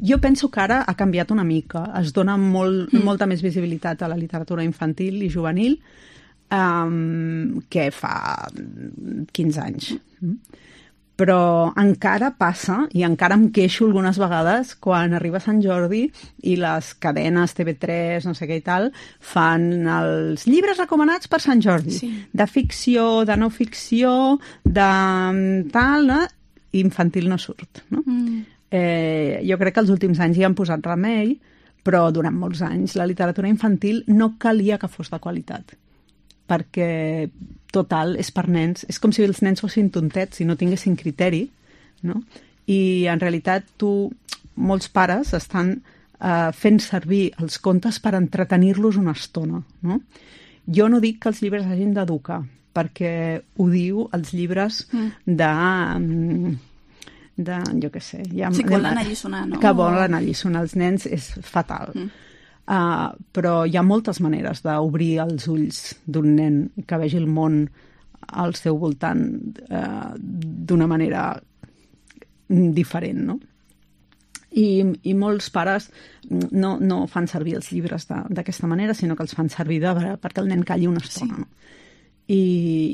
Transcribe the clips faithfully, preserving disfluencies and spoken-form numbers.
Jo penso que ara ha canviat una mica. Es dona molt, mm. molta més visibilitat a la literatura infantil i juvenil um, que fa quinze anys. Mm. Però encara passa, i encara em queixo algunes vegades, quan arriba Sant Jordi i les cadenes T V tres, no sé què i tal, fan els llibres recomanats per Sant Jordi. Sí. De ficció, de no ficció, de tal, no? Infantil no surt. No? Mm. Eh, jo crec que els últims anys hi han posat remei, però durant molts anys la literatura infantil no calia que fos de qualitat. Perquè, total, és per nens. És com si els nens fossin tontets i no tinguessin criteri, no? I, en realitat, tu, molts pares estan eh, fent servir els contes per entretenir-los una estona, no? Jo no dic que els llibres hagin d'educar, perquè ho diu els llibres de... de jo què sé... Ja, sí, que volen alliçonar, no? Que volen alliçonar els nens és fatal. Mm. Uh, però hi ha moltes maneres d'obrir els ulls d'un nen que vegi el món al seu voltant uh, d'una manera diferent, no? I, i molts pares no, no fan servir els llibres d'aquesta manera, sinó que els fan servir de, perquè el nen calli una estona. Sí. No? I,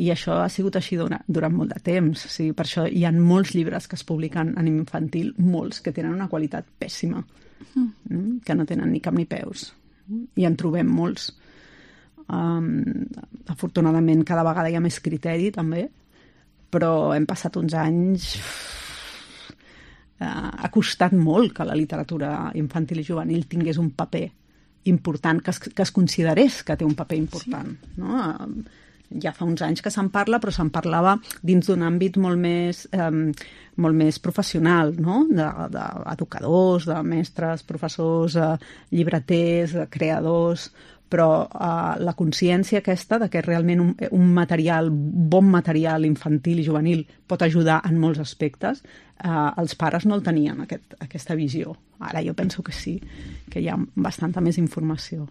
I això ha sigut així durant, durant molt de temps. O sigui, per això hi ha molts llibres que es publiquen en infantil, molts que tenen una qualitat pèssima. Mm. Que no tenen ni cap ni peus, i en trobem molts. Um, afortunadament cada vegada hi ha més criteri també, però hem passat uns anys uh, ha costat molt que la literatura infantil i juvenil tingués un paper important, que es, que es considerés que té un paper important, sí. No? Um, ja fa uns anys que se'n parla, però se'n parlava dins d'un àmbit molt més, eh, molt més professional, no? D'educadors, de, de mestres, professors, eh, llibreters, de creadors, però eh, la consciència aquesta de que realment un, un material, bon material infantil i juvenil pot ajudar en molts aspectes, eh, els pares no el tenien, aquest, aquesta visió. Ara jo penso que sí, que hi ha bastanta més informació.